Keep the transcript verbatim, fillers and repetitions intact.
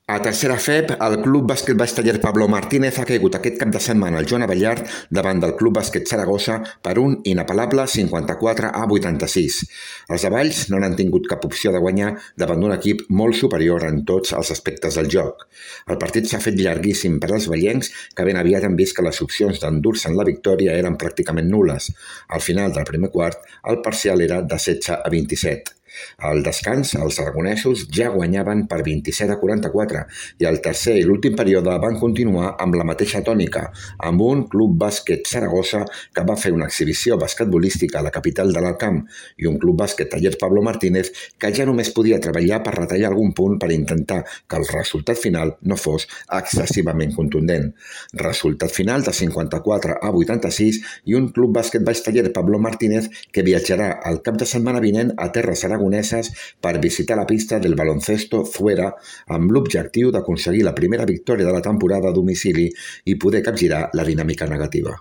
A tercera F E P, el Club Bàsquet Baix Taller Pablo Martínez ha caigut aquest cap de setmana al Joan Abellart davant del Club Bàsquet Saragossa per un inapel·lable cinquanta-quatre a vuitanta-sis. Els avalls no n'han tingut cap opció de guanyar davant d'un equip molt superior en tots els aspectes del joc. El partit s'ha fet llarguíssim per als vellencs, que ben aviat han vist que les opcions d'endur-se'n la victòria eren pràcticament nules. Al final del primer quart, el parcial era de setze a vint-i-set. Al descans, els aragonesos ja guanyaven per vint-i-set a quaranta-quatre i el tercer i l'últim període van continuar amb la mateixa tònica, amb un Club Bàsquet Saragossa que va fer una exhibició basquetbolística a la capital de l'Alt Camp i un Club Bàsquet Taller Pablo Martínez que ja només podia treballar per retallar algun punt per intentar que el resultat final no fos excessivament contundent. Resultat final de cinquanta-quatre a vuitanta-sis i un Club Bàsquet Baix Taller Pablo Martínez que viatjarà el cap de setmana vinent a terres aragoneses per visitar la pista del baloncesto Fuera amb l'objectiu d'aconseguir la primera victòria de la temporada a domicili i poder capgirar la dinàmica negativa.